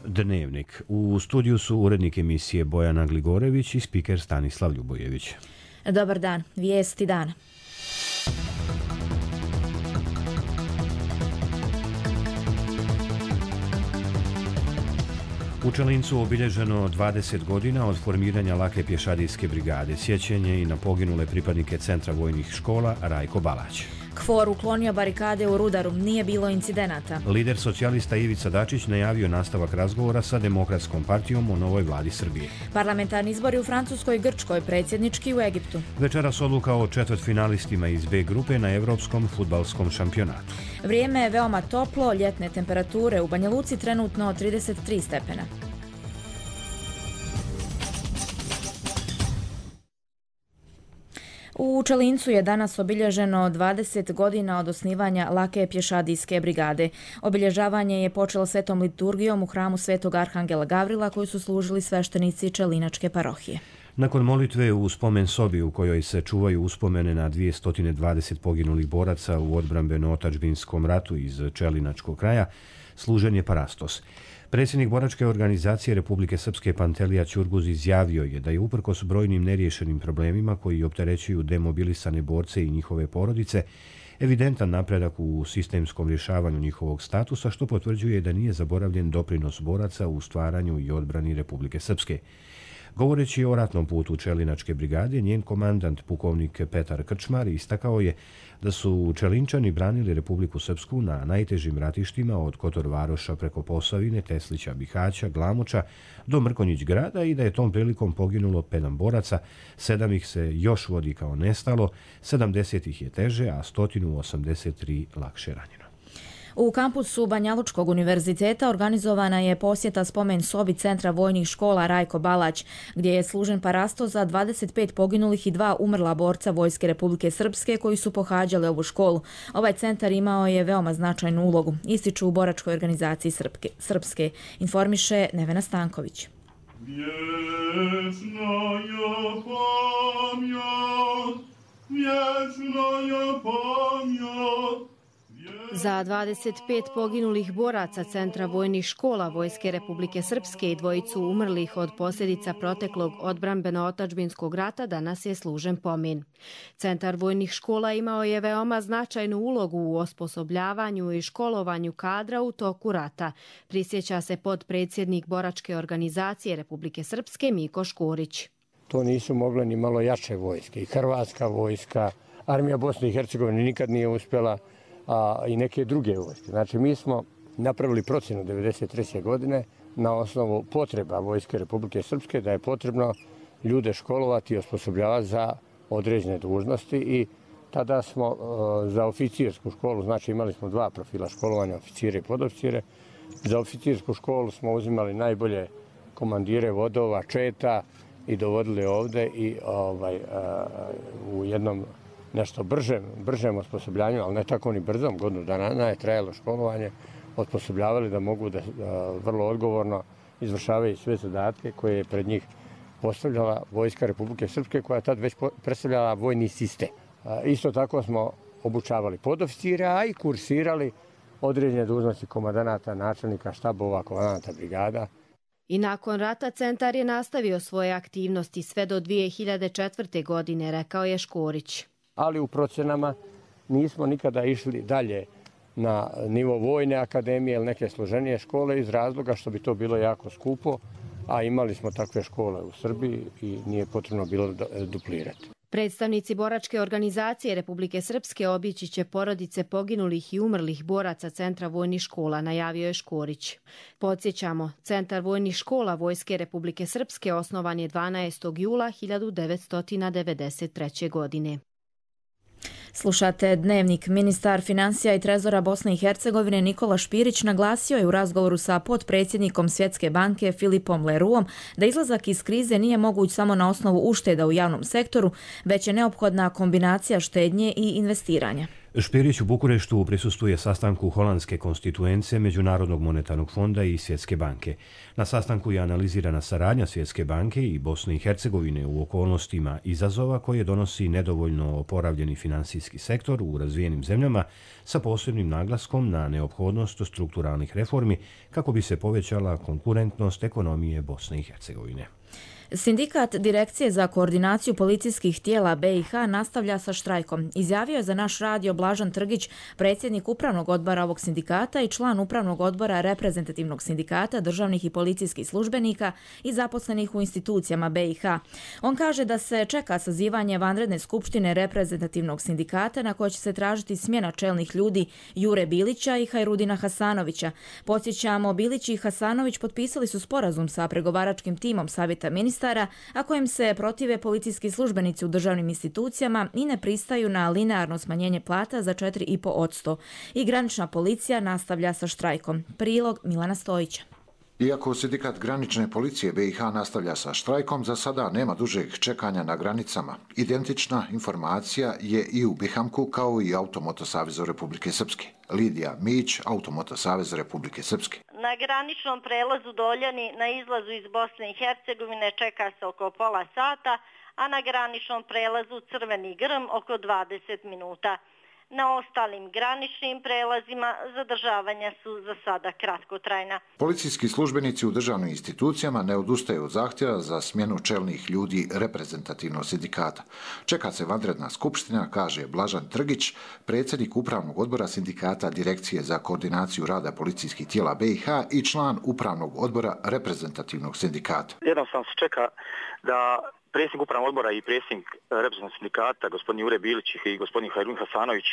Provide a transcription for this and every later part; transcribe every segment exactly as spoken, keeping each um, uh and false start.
Dnevnik. U studiju su urednik emisije Bojana Gligorević i spiker Stanislav Ljubojević. Dobar dan, vijesti dana. U Čelincu obilježeno dvadeset godina od formiranja lake pješadijske brigade. Sjećanje i na poginule pripadnike Centra vojnih škola Rajko Balać. KFOR uklonio barikade u Rudaru, nije bilo incidenata. Lider socijalista Ivica Dačić najavio nastavak razgovora sa Demokratskom partijom o novoj vladi Srbije. Parlamentarni izbori u Francuskoj i Grčkoj, predsjednički u Egiptu. Večeras odluka o četvrtfinalistima iz B grupe na Evropskom fudbalskom šampionatu. Vrijeme je veoma toplo, ljetne temperature u Banja Luci trenutno trideset tri stepena. U Čelincu je danas obilježeno dvadeset godina od osnivanja lake pješadijske brigade. Obilježavanje je počelo svetom liturgijom u hramu Svetog Arhangela Gavrila koju su služili sveštenici Čelinačke parohije. Nakon molitve u spomen sobi u kojoj se čuvaju uspomene na dvjesto dvadeset poginulih boraca u odbrambeno-otadžbinskom ratu iz Čelinačkog kraja, služen je parastos. Predsjednik boračke organizacije Republike Srpske Pantelija Ćurguz izjavio je da je uprkos brojnim neriješenim problemima koji opterećuju demobilisane borce i njihove porodice, evidentan napredak u sistemskom rješavanju njihovog statusa, što potvrđuje da nije zaboravljen doprinos boraca u stvaranju i odbrani Republike Srpske. Govoreći o ratnom putu Čelinačke brigade, njen komandant pukovnik Petar Krčmar istakao je da su Čelinčani branili Republiku Srpsku na najtežim ratištima od Kotor Varoša preko Posavine, Teslića, Bihaća, Glamoča do Mrkonjić grada i da je tom prilikom poginulo sedam boraca, sedam ih se još vodi kao nestalo, sedamdeset ih je teže, a sto osamdeset tri lakše ranjeno. U kampusu Banjalučkog univerziteta organizovana je posjeta spomen sobi Centra vojnih škola Rajko Balać, gdje je služen parastos za dvadeset pet poginulih i dva umrla borca Vojske Republike Srpske koji su pohađali ovu školu. Ovaj centar imao je veoma značajnu ulogu, ističu u boračkoj organizaciji Srpske. Srpske. Informiše Nevena Stanković. Vječna je pamjat, vječna je pamjat. Za dvadeset pet poginulih boraca Centra vojnih škola Vojske Republike Srpske i dvojicu umrlih od posljedica proteklog odbrambeno-otadžbinskog rata danas je služen pomen. Centar vojnih škola imao je veoma značajnu ulogu u osposobljavanju i školovanju kadra u toku rata, prisjeća se potpredsjednik boračke organizacije Republike Srpske Miko Škorić. To nisu mogle ni malo jače vojske. I Hrvatska vojska, armija Bosne i Hercegovine nikad nije uspjela, a i neke druge vojske. Znači, mi smo napravili procjenu devedeset treće godine na osnovu potreba Vojske Republike Srpske da je potrebno ljude školovati i osposobljavati za određene dužnosti i tada smo uh, za oficijersku školu, znači imali smo dva profila školovanja, oficire i podoficire. Za oficijersku školu smo uzimali najbolje komandire vodova, četa i dovodili ovde i ovaj, uh, u jednom nešto bržem, bržem osposobljanju, ali ne tako ni brzom, godinu dana je trajalo školovanje, osposobljavali da mogu da, da vrlo odgovorno izvršavaju sve zadatke koje je pred njih postavljala Vojska Republike Srpske, koja je tad već predstavljala vojni sistem. Isto tako smo obučavali podoficire, a i kursirali određene dužnosti komandanata, načelnika, štabova, komandanata brigada. I nakon rata centar je nastavio svoje aktivnosti sve do dvije hiljade četvrte. godine, rekao je Škorić. Ali u procjenama nismo nikada išli dalje na nivo vojne akademije ili neke složenije škole iz razloga što bi to bilo jako skupo, a imali smo takve škole u Srbiji i nije potrebno bilo duplirati. Predstavnici boračke organizacije Republike Srpske obići će porodice poginulih i umrlih boraca Centra vojnih škola, najavio je Škorić. Podsjećamo, Centar vojnih škola Vojske Republike Srpske osnovan je dvanaestog jula hiljadu devetsto devedeset treće. godine. Slušate Dnevnik. Ministar financija i trezora Bosne i Hercegovine Nikola Špirić naglasio je u razgovoru sa potpredsjednikom Svjetske banke Filipom Leruom da izlazak iz krize nije moguć samo na osnovu ušteda u javnom sektoru, već je neophodna kombinacija štednje i investiranja. Špirić u Bukureštu prisustvuje sastanku Holandske konstituence Međunarodnog monetarnog fonda i Svjetske banke. Na sastanku je analizirana saradnja Svjetske banke i Bosne i Hercegovine u okolnostima izazova koje donosi nedovoljno oporavljeni finansijski sektor u razvijenim zemljama sa posebnim naglaskom na neophodnost strukturalnih reformi kako bi se povećala konkurentnost ekonomije Bosne i Hercegovine. Sindikat Direkcije za koordinaciju policijskih tijela B i H nastavlja sa štrajkom. Izjavio je za naš radio Blažan Trgić, predsjednik upravnog odbora ovog sindikata i član upravnog odbora reprezentativnog sindikata državnih i policijskih službenika i zaposlenih u institucijama B i H. On kaže da se čeka sazivanje vanredne skupštine reprezentativnog sindikata na kojoj će se tražiti smjena čelnih ljudi Jure Bilića i Hajrudina Hasanovića. Podsjećamo, Bilić i Hasanović potpisali su sporazum sa pregovaračkim timom Savjeta ministara, a kojim se protive policijski službenici u državnim institucijama i ne pristaju na linearno smanjenje plata za četiri i po posto. I granična policija nastavlja sa štrajkom. Prilog Milana Stojića. Iako sindikat granične policije B i H nastavlja sa štrajkom, za sada nema dužeg čekanja na granicama. Identična informacija je i u Bihamku kao i Automoto Savezu Republike Srpske. Lidija Mić, Automoto Savez Republike Srpske. Na graničnom prelazu Doljani na izlazu iz Bosne i Hercegovine čeka se oko pola sata, a na graničnom prelazu Crveni Grm oko dvadeset minuta. Na ostalim graničnim prelazima zadržavanja su za sada kratkotrajna. Policijski službenici u državnim institucijama ne odustaju od zahtjeva za smjenu čelnih ljudi reprezentativnog sindikata. Čeka se vanredna skupština, kaže Blažan Trgić, predsjednik upravnog odbora sindikata Direkcije za koordinaciju rada policijskih tijela B i H i član upravnog odbora reprezentativnog sindikata. Jednostavno se čeka da predsjednik upravnog odbora i predsjednik reprezentativnog sindikata, gospodin Jure Bilić i gospodin Hajrudin Hasanović,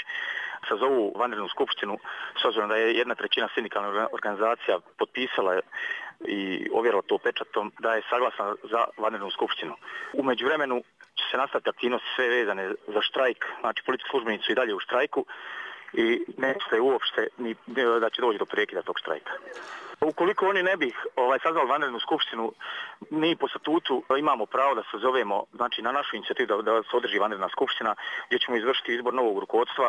sazovu vanrednu skupštinu, s obzirom da je jedna trećina sindikalna organizacija potpisala i ovjerila to pečatom, da je saglasna za vanrednu skupštinu. U međuvremenu će se nastaviti aktivnosti sve vezane za štrajk, znači policijski službenici su i dalje u štrajku i ne se uopšte ni da će doći do prekida tog štrajka. Ukoliko oni ne bi ovaj, sazvali vanrednu skupštinu, mi po statutu imamo pravo da se zovemo, znači na našu inicijativu da, da se održi vanredna skupština gdje ćemo izvršiti izbor novog rukovodstva.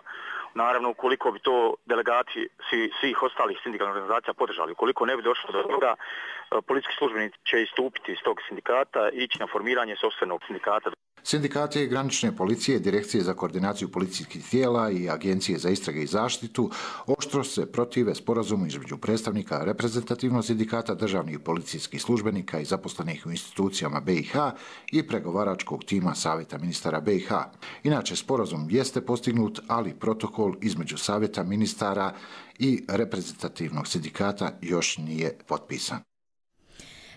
Naravno, ukoliko bi to delegati svi, svih ostalih sindikalnih organizacija podržali, ukoliko ne bi došlo do toga, policijski službenici će istupiti iz tog sindikata i ići na formiranje sopstvenog sindikata. Sindikati granične policije, Direkcije za koordinaciju policijskih tijela i Agencije za istrage i zaštitu oštro se protive sporazumu između predstavnika reprezentativnog sindikata državnih policijskih službenika i zaposlenih u institucijama B i H i pregovaračkog tima Savjeta ministara B i H. Inače, sporazum jeste postignut, ali protokol između Savjeta ministara i reprezentativnog sindikata još nije potpisan.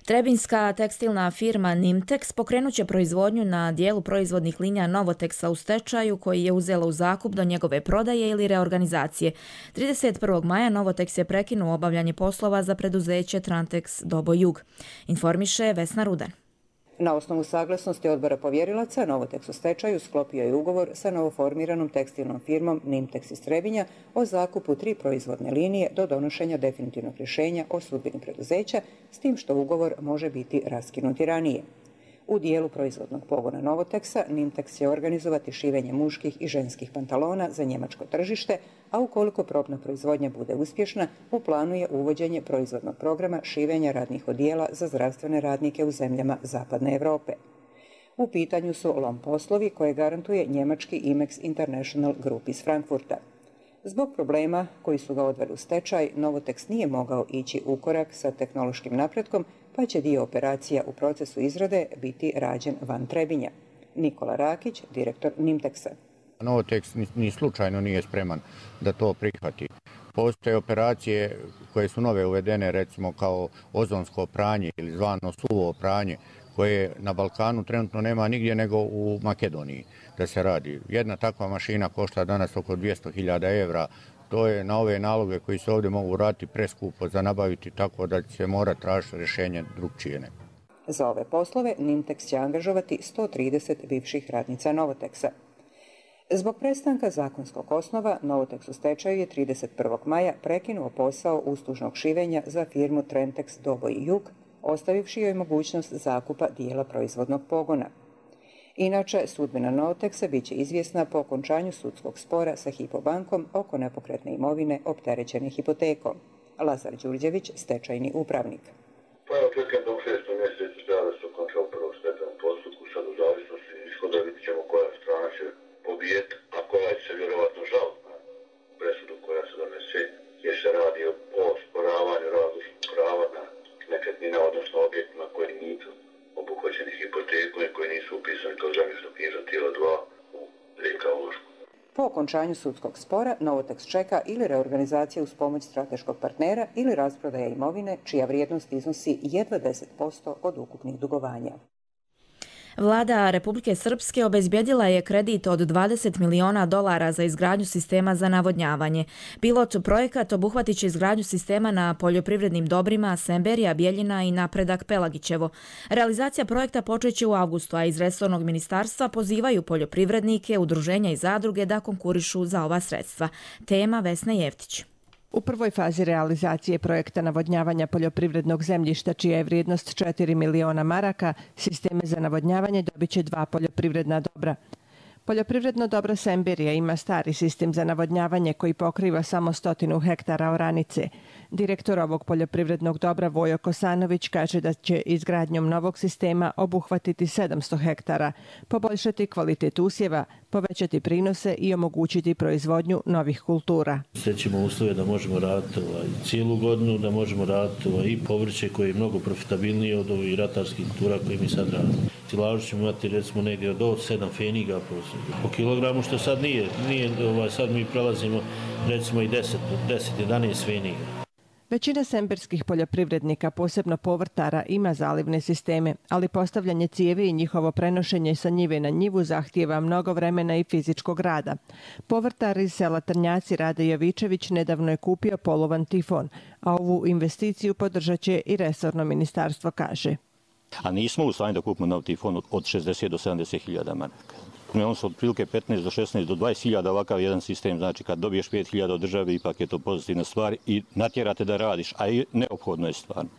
Trebinjska tekstilna firma Nimtex pokrenut će proizvodnju na dijelu proizvodnih linija Novoteksa u stečaju koji je uzela u zakup do njegove prodaje ili reorganizacije. trideset prvog maja Novotex je prekinuo obavljanje poslova za preduzeće Trantex Dobo Jug. Informiše Vesna Rudan. Na osnovu saglasnosti odbora povjerilaca, Novotex u stečaju sklopio je ugovor sa novoformiranom tekstilnom firmom Nimtex iz Trebinja o zakupu tri proizvodne linije do donošenja definitivnog rješenja o sudbini preduzeća, s tim što ugovor može biti raskinuti ranije. U dijelu proizvodnog pogona Novoteksa, Nimtex će organizovati šivenje muških i ženskih pantalona za njemačko tržište, a ukoliko probna proizvodnja bude uspješna, u planu je uvođenje proizvodnog programa šivenja radnih odijela za zdravstvene radnike u zemljama Zapadne Europe. U pitanju su lom poslovi koje garantuje njemački Imex International Group iz Frankfurta. Zbog problema koji su ga odveli u stečaj, Novotex nije mogao ići u korak sa tehnološkim napretkom, pa će dio operacija u procesu izrade biti rađen van Trebinja. Nikola Rakić, direktor Nimtexa. Novotex ni, ni slučajno nije spreman da to prihvati. Postoje operacije koje su nove uvedene, recimo kao ozonsko pranje ili zvano suvo pranje, koje na Balkanu trenutno nema nigdje nego u Makedoniji da se radi. Jedna takva mašina košta danas oko dvjesto hiljada evra. To je na ove naloge koji se ovdje mogu raditi preskupo za nabaviti, tako da će se mora tražiti rješenje drugčije. Za ove poslove Nimtex će angažovati sto trideset bivših radnica Novoteksa. Zbog prestanka zakonskog osnova, Novotex u stečaju je trideset prvog maja prekinuo posao uslužnog šivenja za firmu Trantex Dobo i Jug, ostavivši joj mogućnost zakupa dijela proizvodnog pogona. Inače, sudbina Novoteksa biće izvjesna po okončanju sudskog spora sa Hypo bankom oko nepokretne imovine opterećene hipotekom. Lazar Đurđević, stečajni upravnik. Pa je očekujem da u šestom mjesecu treba da se okonča u prvom stečajnom postupku, sad u zavisnosti ishoda vidit ćemo koja strana će pobijeti, a koja će se vjerovatno žaliti na presudu koja se donese, jer se radi o sporavanju različitih prava na nekretnina, odnosno objektima koji nisu obuhvaćeni hipotekom i koji nisu upisani kao zemljišno-knjižna tijela dva u R K ulošku. Po okončanju sudskog spora Novoteks čeka ili reorganizacija uz pomoć strateškog partnera ili rasprodaja imovine čija vrijednost iznosi jedva deset posto od ukupnih dugovanja. Vlada Republike Srpske obezbjedila je kredit od dvadeset miliona dolara za izgradnju sistema za navodnjavanje. Pilot projekat obuhvatit će izgradnju sistema na poljoprivrednim dobrima Semberija, Bjeljina i Napredak Pelagićevo. Realizacija projekta počeće u avgustu, a iz resornog ministarstva pozivaju poljoprivrednike, udruženja i zadruge da konkurišu za ova sredstva. Tema Vesna Jeftić. U prvoj fazi realizacije projekta navodnjavanja poljoprivrednog zemljišta, čija je vrijednost četiri miliona maraka, sisteme za navodnjavanje dobit će dva poljoprivredna dobra. Poljoprivredno dobro Semberija ima stari sistem za navodnjavanje koji pokriva samo stotinu hektara oranice. Direktor ovog poljoprivrednog dobra Vojo Kosanović kaže da će izgradnjom novog sistema obuhvatiti sedamsto hektara, poboljšati kvalitet usjeva, povećati prinose i omogućiti proizvodnju novih kultura. Stećemo uslove da možemo raditi ovaj, cijelu godinu, da možemo raditi ovaj, i povrće koje je mnogo profitabilnije od ovih ratarskih kultura koje mi sad radimo. Silažu ćemo imati recimo negdje do sedam feniga po, po kilogramu, što sad nije. nije ovaj, sad mi prelazimo recimo i deset do jedanaest feniga. Većina semberskih poljoprivrednika, posebno povrtara, ima zalivne sisteme, ali postavljanje cijevi i njihovo prenošenje sa njive na njivu zahtijeva mnogo vremena i fizičkog rada. Povrtar iz sela Trnjaci Rade Jovičević nedavno je kupio polovan tifon, a ovu investiciju podržat će i resorno ministarstvo, kaže. A nismo u stanju da kupimo nov tifon od šezdeset do sedamdeset hiljada maraka. On su otprilike petnaest do šesnaest do dvadeset hiljada ovakav jedan sistem, znači kad dobiješ pet hiljada od države ipak je to pozitivna stvar i natjerate da radiš, a i neophodno je stvarno.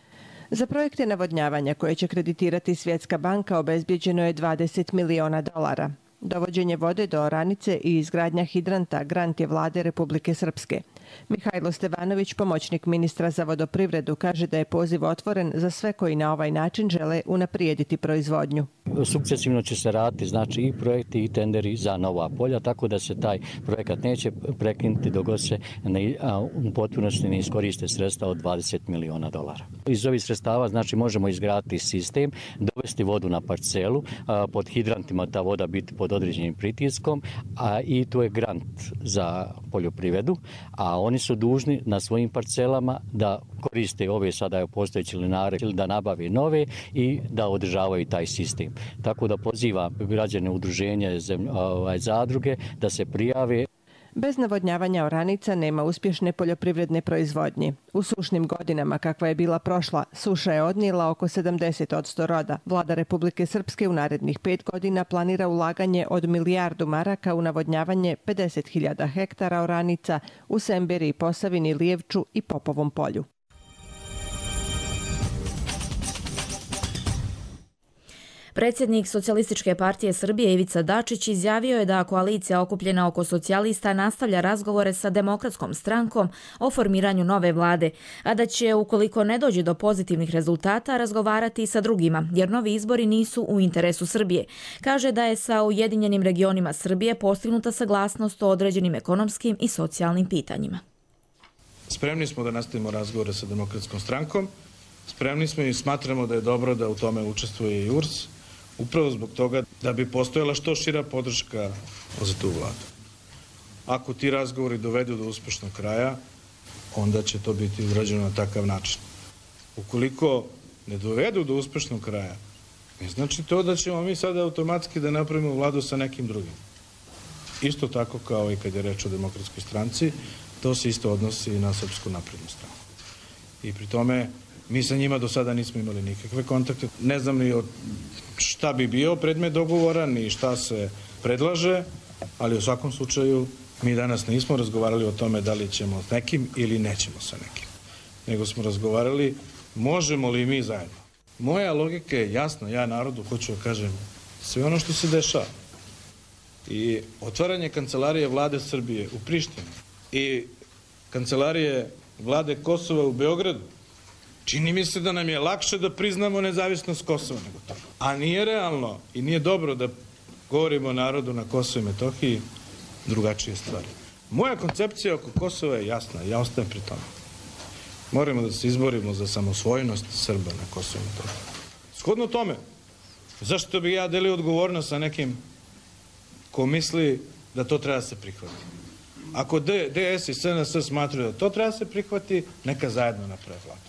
Za projekte navodnjavanja koje će kreditirati Svjetska banka obezbjeđeno je dvadeset miliona dolara. Dovođenje vode do oranice i izgradnja hidranta grant je vlade Republike Srpske. Mihajlo Stevanović, pomoćnik ministra za vodoprivredu, kaže da je poziv otvoren za sve koji na ovaj način žele unaprijediti proizvodnju. Sukcesivno će se raditi znači i projekti i tenderi za nova polja, tako da se taj projekat neće prekinuti dok se ne, a, u potpunosti ne iskoriste sredstva od dvadeset miliona dolara. Iz ovih sredstava znači možemo izgraditi sistem, dovesti vodu na parcelu, a, pod hidrantima ta voda biti pod određenim pritiskom, a i to je grant za poljoprivredu, a oni su dužni na svojim parcelama da koriste ove sada postojeće linare ili da nabave nove i da održavaju taj sistem. Tako da poziva građane udruženja ovaj, zadruge da se prijave. Bez navodnjavanja oranica nema uspješne poljoprivredne proizvodnje. U sušnim godinama, kakva je bila prošla, suša je odnijela oko sedamdeset posto roda. Vlada Republike Srpske u narednih pet godina planira ulaganje od milijardu maraka u navodnjavanje pedeset hiljada hektara oranica u Semberiji, Posavini, Lijevču i Popovom polju. Predsjednik Socijalističke partije Srbije Ivica Dačić izjavio je da koalicija okupljena oko socijalista nastavlja razgovore sa Demokratskom strankom o formiranju nove vlade, a da će, ukoliko ne dođe do pozitivnih rezultata, razgovarati i sa drugima, jer novi izbori nisu u interesu Srbije. Kaže da je sa Ujedinjenim regionima Srbije postignuta saglasnost o određenim ekonomskim i socijalnim pitanjima. Spremni smo da nastavimo razgovore sa Demokratskom strankom, spremni smo i smatramo da je dobro da u tome učestvuje i U R S, upravo zbog toga da bi postojala što šira podrška za tu vladu. Ako ti razgovori dovedu do uspešnog kraja, onda će to biti urađeno na takav način. Ukoliko ne dovedu do uspešnog kraja, ne znači to da ćemo mi sada automatski da napravimo vladu sa nekim drugim. Isto tako kao i kad je reč o Demokratskoj stranci, to se isto odnosi i na Srpsku naprednu stranu. I pri tome mi sa njima do sada nismo imali nikakve kontakte. Ne znam ni šta bi bio predmet dogovora, ni šta se predlaže, ali u svakom slučaju mi danas nismo razgovarali o tome da li ćemo s nekim ili nećemo sa nekim. Nego smo razgovarali možemo li mi zajedno. Moja logika je jasna, ja narodu hoću da kažem sve ono što se dešava i otvaranje kancelarije vlade Srbije u Prištini i kancelarije vlade Kosova u Beogradu, čini mi se da nam je lakše da priznamo nezavisnost Kosova nego to. A nije realno i nije dobro da govorimo o narodu na Kosovu i Metohiji drugačije stvari. Moja koncepcija oko Kosova je jasna, ja ostajem pri tome. Moramo da se izborimo za samosvojnost Srba na Kosovu i Metohiji. Shodno tome, zašto bi ja delio odgovornost sa nekim ko misli da to treba se prihvati? Ako D S i S N S smatraju da to treba se prihvati, neka zajedno naprave vladu.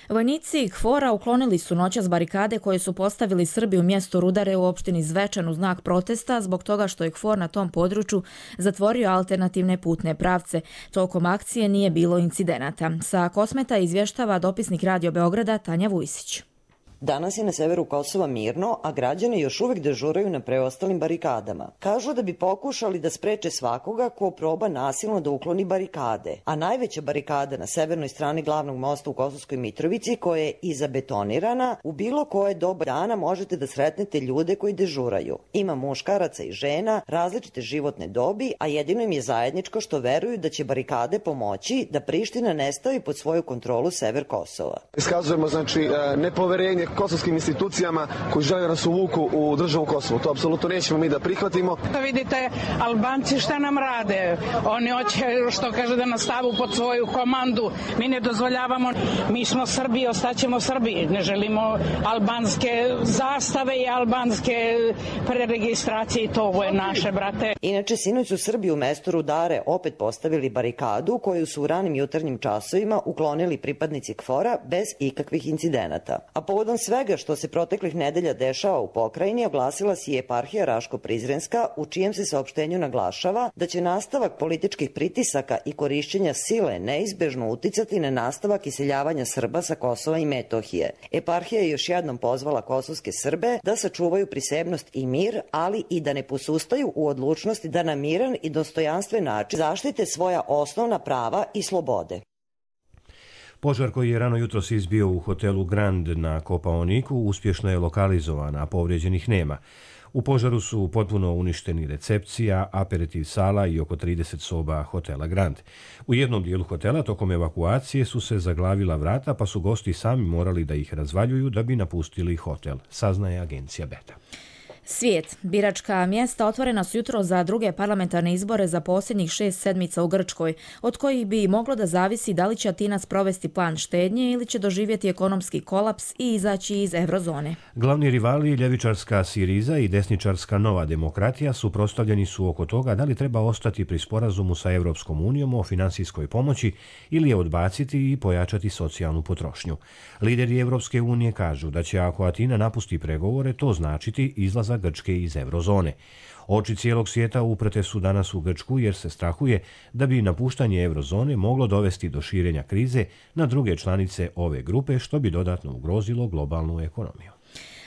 Vojnici K F O R-a uklonili su noćas barikade koje su postavili Srbi u mjestu Rudare u opštini Zvečan u znak protesta zbog toga što je K F O R na tom području zatvorio alternativne putne pravce. Tokom akcije nije bilo incidenata. Sa Kosmeta izvještava dopisnik Radio Beograda Tanja Vujsić. Danas je na severu Kosova mirno, a građani još uvijek dežuraju na preostalim barikadama. Kažu da bi pokušali da spreče svakoga ko proba nasilno da ukloni barikade, a najveća barikada na severnoj strani glavnog mosta u Kosovskoj Mitrovici, koja je i zabetonirana, u bilo koje doba dana možete da sretnete ljude koji dežuraju. Ima muškaraca i žena, različite životne dobi, a jedino im je zajedničko što veruju da će barikade pomoći da Priština ne stavi pod svoju kontrolu sever Kosova. Iskazujemo znači nepoverenje kosovskim institucijama koji žele da nas uvuku u državu Kosovo. To apsolutno nećemo mi da prihvatimo. Da vidite, Albanci šta nam rade? Oni hoće, što kaže, da nas stavu pod svoju komandu. Mi ne dozvoljavamo. Mi smo Srbi, ostaćemo Srbi. Ne želimo albanske zastave i albanske preregistracije. To je naše, brate. Inače, sinoć su Srbi u mestu Rudare opet postavili barikadu koju su u ranim jutarnjim časovima uklonili pripadnici K F O R-a bez ikakvih incidenata. A povodom svega što se proteklih nedelja dešava u pokrajini, oglasila si je eparhija Raško-Prizrenska, u čijem se saopštenju naglašava da će nastavak političkih pritisaka i korišćenja sile neizbežno uticati na nastavak iseljavanja Srba sa Kosova i Metohije. Eparhija je još jednom pozvala kosovske Srbe da sačuvaju prisebnost i mir, ali i da ne posustaju u odlučnosti da na miran i dostojanstven način zaštite svoja osnovna prava i slobode. Požar koji je rano jutros izbio u hotelu Grand na Kopaoniku uspješno je lokalizovan, a povrijeđenih nema. U požaru su potpuno uništeni recepcija, aperitiv sala i oko trideset soba hotela Grand. U jednom dijelu hotela tokom evakuacije su se zaglavila vrata, pa su gosti sami morali da ih razvaljuju da bi napustili hotel, saznaje agencija Beta. Svijet. Biračka mjesta otvorena su jutro za druge parlamentarne izbore za posljednjih šest sedmica u Grčkoj, od kojih bi moglo da zavisi da li će Atina sprovesti plan štednje ili će doživjeti ekonomski kolaps i izaći iz eurozone. Glavni rivali, ljevičarska Siriza i desničarska Nova demokratija, suprotstavljeni su oko toga da li treba ostati pri sporazumu sa Evropskom unijom o finansijskoj pomoći ili je odbaciti i pojačati socijalnu potrošnju. Lideri Evropske unije kažu da će ako Atina napusti pregovore, to značiti izlazak Grčke iz eurozone. Oči cijelog svijeta uprte su danas u Grčku jer se strahuje da bi napuštanje eurozone moglo dovesti do širenja krize na druge članice ove grupe, što bi dodatno ugrozilo globalnu ekonomiju.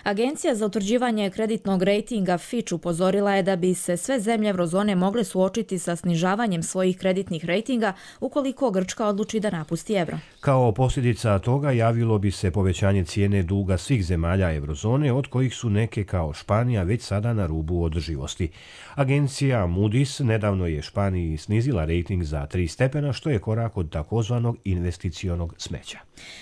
Agencija za utvrđivanje kreditnog rejtinga Fitch upozorila je da bi se sve zemlje eurozone mogle suočiti sa snižavanjem svojih kreditnih rejtinga ukoliko Grčka odluči da napusti euro. Kao posljedica toga javilo bi se povećanje cijene duga svih zemalja eurozone, od kojih su neke kao Španija već sada na rubu održivosti. Agencija Moody's nedavno je Španiji snizila rejting za tri stepena, što je korak od takozvanog investicionog smeća.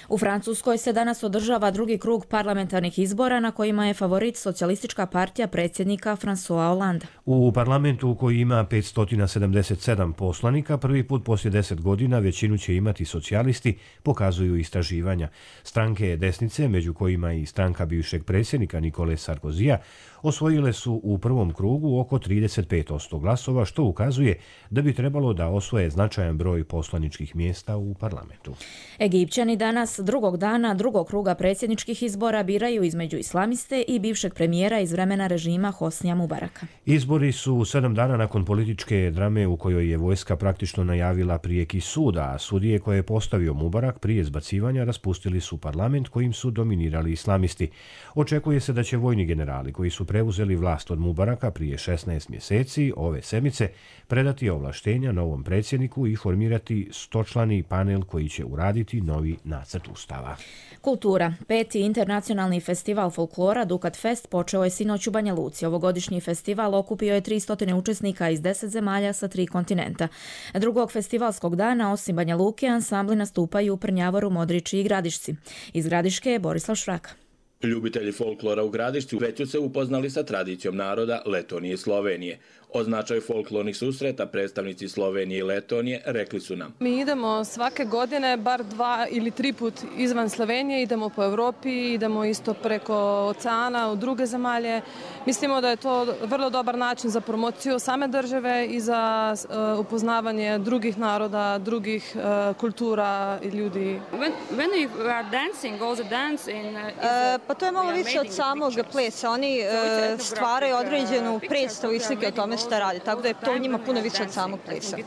U Francuskoj se danas održava drugi krug parlamentarnih izbora na kojima je favorit socijalistička partija predsjednika François Hollande. U parlamentu koji ima petsto sedamdeset sedam poslanika, prvi put poslije deset godina većinu će imati socijalisti, pokazuju istraživanja. Stranke desnice, među kojima i stranka bivšeg predsjednika Nikole Sarkozija, osvojile su u prvom krugu oko trideset pet posto glasova, što ukazuje da bi trebalo da osvoje značajan broj poslaničkih mjesta u parlamentu. Egipćani danas drugog dana drugog kruga predsjedničkih izbora biraju između islamiste i bivšeg premijera iz vremena režima Hosnija Mubaraka. Izbori su sedam dana nakon političke drame u kojoj je vojska praktično najavila prijeki sud, a sudije koje je postavio Mubarak prije zbacivanja raspustili su parlament kojim su dominirali islamisti. Očekuje se da će vojni generali koji su preuzeli vlast od Mubaraka prije šesnaest mjeseci ove sedmice predati ovlaštenja novom predsjedniku i formirati stočlani panel koji će uraditi novi nacrt ustava. Kultura. Peti internacionalni festival festival folklora Dukat Fest počeo je sinoć u Banja Luci. Ovogodišnji festival okupio je tristo učesnika iz deset zemalja sa tri kontinenta. Drugog festivalskog dana, osim Banja Luke, ansambli nastupaju u Prnjavoru, Modriči i Gradišci. Iz Gradiške je Borislav Šraka. Ljubitelji folklora u Gradišci već su se upoznali sa tradicijom naroda Letonije i Slovenije. O značaju folklornih susreta predstavnici Slovenije i Letonije rekli su nam. Mi idemo svake godine bar dva ili tri put izvan Slovenije, idemo po Evropi, idemo isto preko oceana u druge zemalje. Mislimo da je to vrlo dobar način za promociju same države i za uh, upoznavanje drugih naroda, drugih uh, kultura i ljudi. When, when you are dancing, all the dance in, uh, uh, pa to je malo više od samog plesa. Oni uh, stvaraju određenu predstavu i slike o tome šta radi, tako da je to njima puno više od samog plesa.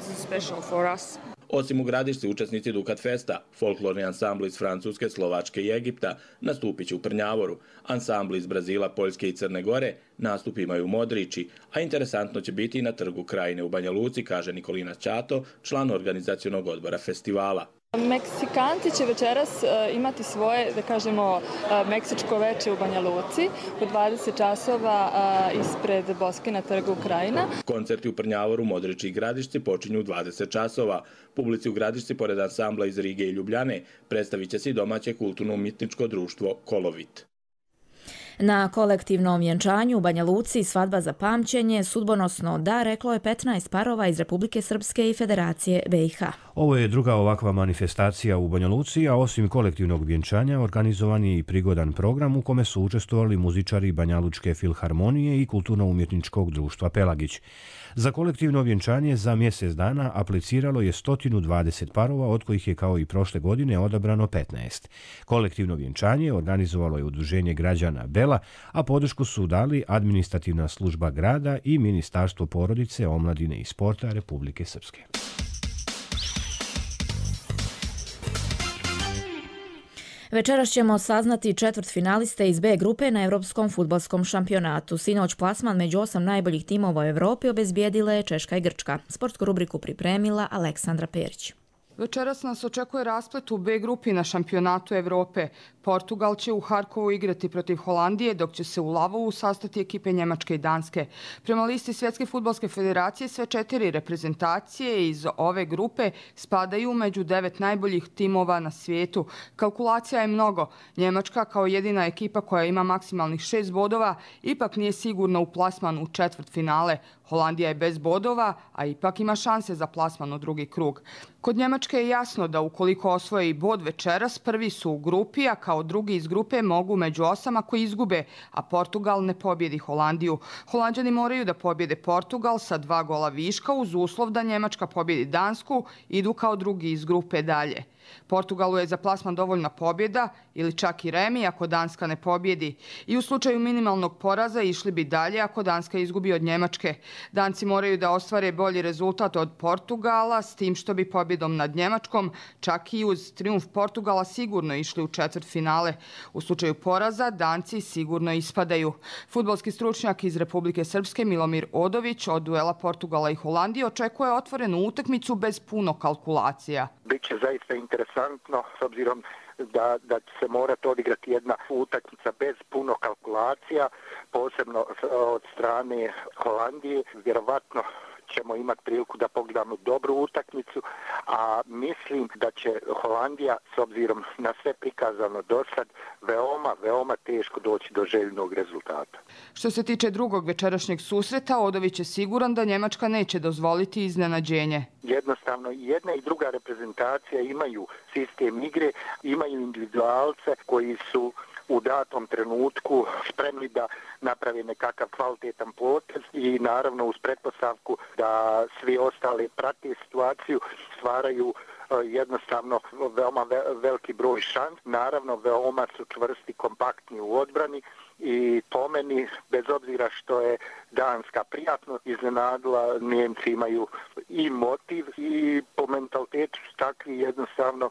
Osim u Gradišci, učesnici Dukat Festa, folklorni ansambli iz Francuske, Slovačke i Egipta nastupit će u Prnjavoru, ansambli iz Brazila, Poljske i Crne Gore nastup imaju u Modriči, a interesantno će biti i na Trgu Krajine u Banja Luci, kaže Nikolina Ćato, član organizacionog odbora festivala. Meksikanci će večeras uh, imati svoje, da kažemo, uh, meksičko veče u Banja Luci u dvadeset časova uh, ispred Boske na Trgu Krajina. Koncerti u Prnjavoru, Modriči i Gradišci počinju u dvadeset časova. Publici u Gradišci, pored ansambla iz Rige i Ljubljane, predstavit će se i domaće kulturno-umjetničko društvo Kolovit. Na kolektivnom vjenčanju u Banja Luci svadba za pamćenje, sudbonosno da, reklo je petnaest parova iz Republike Srpske i Federacije B i H. Ovo je druga ovakva manifestacija u Banja Luci, a osim kolektivnog vjenčanja organizovan je i prigodan program u kome su učestvovali muzičari Banjalučke filharmonije i kulturno-umjetničkog društva Pelagić. Za kolektivno vjenčanje za mjesec dana apliciralo je sto dvadeset parova, od kojih je kao i prošle godine odabrano petnaest. Kolektivno vjenčanje organizovalo je Udruženje građana Bela, a podršku su dali Administrativna služba grada i Ministarstvo porodice, omladine i sporta Republike Srpske. Večeras ćemo saznati četvrtfinaliste iz B grupe na Evropskom fudbalskom šampionatu. Sinoć plasman među osam najboljih timova u Evropi obezbijedile Češka i Grčka. Sportsku rubriku pripremila Aleksandra Perić. Večeras nas očekuje rasplet u B grupi na šampionatu Evrope. Portugal će u Harkovu igrati protiv Holandije, dok će se u Lavovu sastati ekipe Njemačke i Danske. Prema listi Svjetske fudbalske federacije, sve četiri reprezentacije iz ove grupe spadaju među devet najboljih timova na svijetu. Kalkulacija je mnogo. Njemačka, kao jedina ekipa koja ima maksimalnih šest bodova, ipak nije sigurna u plasman u četvrtfinale. Holandija je bez bodova, a ipak ima šanse za plasman u drugi krug. Kod Njemačke je jasno da ukoliko osvoje i bod večeras, prvi su u grupi, a kao drugi iz grupe mogu među osam ako izgube, a Portugal ne pobjedi Holandiju. Holanđani moraju da pobjede Portugal sa dva gola viška uz uslov da Njemačka pobjedi Dansku, idu kao drugi iz grupe dalje. Portugalu je za plasman dovoljna pobjeda ili čak i remi ako Danska ne pobjedi. I u slučaju minimalnog poraza išli bi dalje ako Danska izgubi od Njemačke. Danci moraju da ostvare bolji rezultat od Portugala, s tim što bi pobjedom nad Njemačkom čak i uz trijumf Portugala sigurno išli u četvrtfinale. U slučaju poraza Danci sigurno ispadaju. Fudbalski stručnjak iz Republike Srpske Milomir Odović od duela Portugala i Holandije očekuje otvorenu utakmicu bez puno kalkulacija. Biće zaista interesantno s obzirom da, da će se morati odigrati jedna utakmica bez puno kalkulacija, posebno od strane Holandije. Vjerovatno ćemo imati priliku da pogledamo dobru utakmicu, a mislim da će Holandija, s obzirom na sve prikazano do sad, veoma, veoma teško doći do željenog rezultata. Što se tiče drugog večerašnjeg susreta, Odović je siguran da Njemačka neće dozvoliti iznenađenje. Jednostavno, jedna i druga reprezentacija imaju sistem igre, imaju individualce koji su u datom trenutku spremni da napravi nekakav kvalitetan potez i naravno uz pretpostavku da svi ostali prate situaciju, stvaraju jednostavno veoma veliki broj šans. Naravno, veoma su čvrsti, kompaktni u odbrani i po meni, bez obzira što je Danska prijatno iznenadila, Njemci imaju i motiv i po mentalitetu su takvi jednostavno.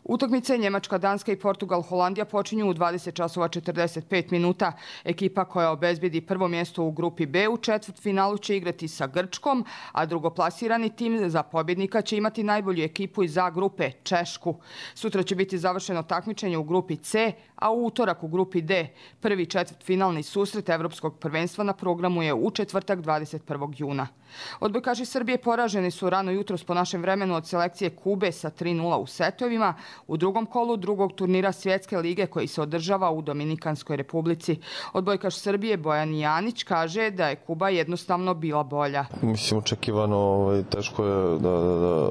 Utakmice Njemačka, Danska i Portugal, Holandija počinju u dvadeset časova četrdeset pet minuta. Ekipa koja obezbedi prvo mjesto u grupi B u četvrtfinalu će igrati sa Grčkom, a drugoplasirani tim za pobjednika će imati najbolju ekipu iz A grupe, Češku. Sutra će biti završeno takmičenje u grupi C, a u utorak u grupi D. Prvi četvrtfinalni susret Evropskog prvenstva na programu je u četvrtak dvadeset prvog juna. Odbojkaši Srbije poraženi su rano jutros po našem vremenu od selekcije Kube sa tri nula u setovima u drugom kolu drugog turnira Svjetske lige koji se održava u Dominikanskoj republici. Odbojkaš Srbije Bojan Janić kaže da je Kuba jednostavno bila bolja. Mislim, očekivano, ovaj, teško je da, da, da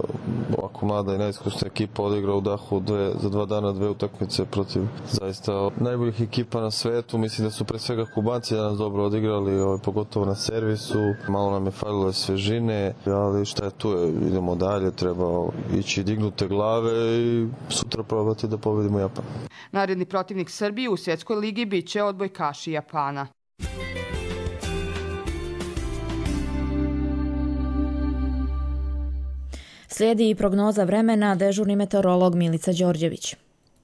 ovako mlada i neiskusna ekipa odigra u dahu dve, za dva dana dve utakmice protiv zaista najboljih ekipa na svetu. Mislim da su pre svega Kubanci danas dobro odigrali, ovaj, pogotovo na servisu. Malo nam je falilo svežine, ali šta je tu je, idemo dalje, treba ići dignute glave i sutra probati da pobedimo Japan. Naredni protivnik Srbije u Svjetskoj ligi bit će odbojkaši Japana. Slijedi i prognoza vremena, dežurni meteorolog Milica Đorđević.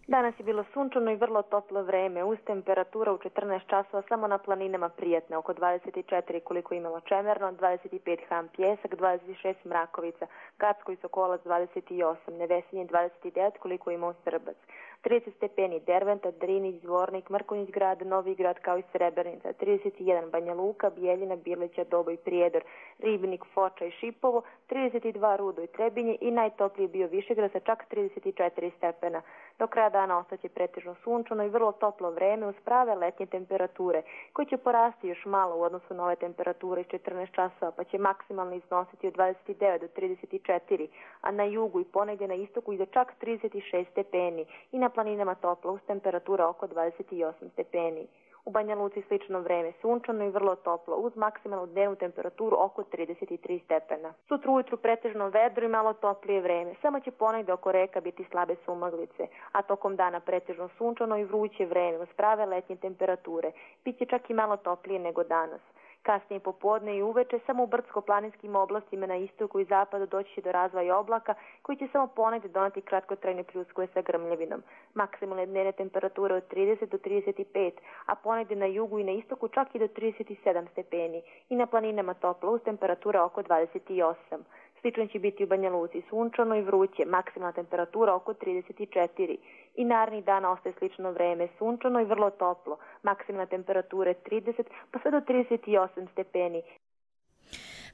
Danas je bilo sunčano i vrlo toplo vreme, uz temperatura u četrnaest časova samo na planinama prijatne, oko dvadeset četiri koliko je imalo Čemerno, dvadeset pet Ham Pjesak, dvadeset šest Mrakovica, Gacko i Sokolac dvadeset osam, Nevesinje dvadeset devet koliko je imao Srbac, trideset stepeni Derventa, Drinić, Zvornik, Mrkonjić grad, Novi grad kao i Srebrenica, trideset jedan Banja Luka, Bijeljina, Birlića, Doboj, Prijedor, Ribnik, Foča i Šipovo, trideset dva Rudo i Trebinje i najtopliji bio Višegrad sa čak trideset četiri stepena. Do kraja dana ostaće pretežno sunčano i vrlo toplo vreme uz prave letnje temperature, koje će porasti još malo u odnosu na ove temperature iz četrnaest časova, pa će maksimalno iznositi od dvadeset devet do trideset četiri, a na jugu i ponegdje na istoku i do čak trideset šest stepeni i na planinama toplo uz temperatura oko dvadeset osam stepeni. U Banja Luci slično vreme, sunčano i vrlo toplo, uz maksimalnu dnevnu temperaturu oko trideset tri stepena. Sutra ujutru pretežno vedro i malo toplije vreme, samo će ponegdje oko reka biti slabe sumaglice, a tokom dana pretežno sunčano i vruće vreme uz prave letnje temperature. Biće čak i malo toplije nego danas. Kasnije popodne i uveče samo u brdsko-planinskim oblastima na istoku i zapadu doći će do razvoja oblaka koji će samo ponegdje doneti kratkotrajne pljuskove sa grmljavinom. Maksimalne dnevne temperature od trideset do trideset pet, a ponegdje na jugu i na istoku čak i do trideset sedam stepeni i na planinama toplo uz temperatura oko dvadeset osam. Slično će biti u Banja Luci, sunčano i vruće, maksimalna temperatura oko trideset četiri. I narednih dana ostaje slično vreme, sunčano i vrlo toplo, maksimalna temperatura trideset pa sve do trideset osam stepeni.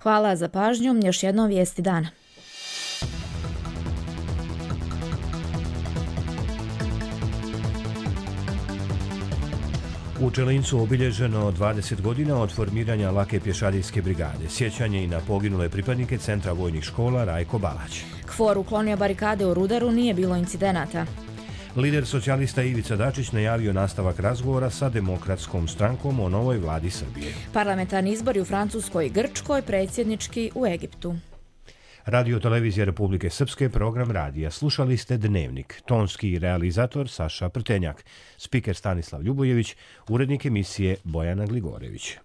Hvala za pažnju, još jedno vijesti dana. U Čelincu obilježeno dvadeset godina od formiranja lake pješadijske brigade. Sjećanje i na poginule pripadnike Centra vojnih škola Rajko Balać. KFOR uklonio barikade u Rudaru, nije bilo incidenata. Lider socijalista Ivica Dačić najavio nastavak razgovora sa Demokratskom strankom o novoj vladi Srbije. Parlamentarni izbori u Francuskoj i Grčkoj, predsjednički u Egiptu. Radio Televizija Republike Srpske, program radija. Slušali ste Dnevnik. Tonski realizator Saša Prtenjak. Spiker Stanislav Ljubojević. Urednik emisije Bojana Gligorević.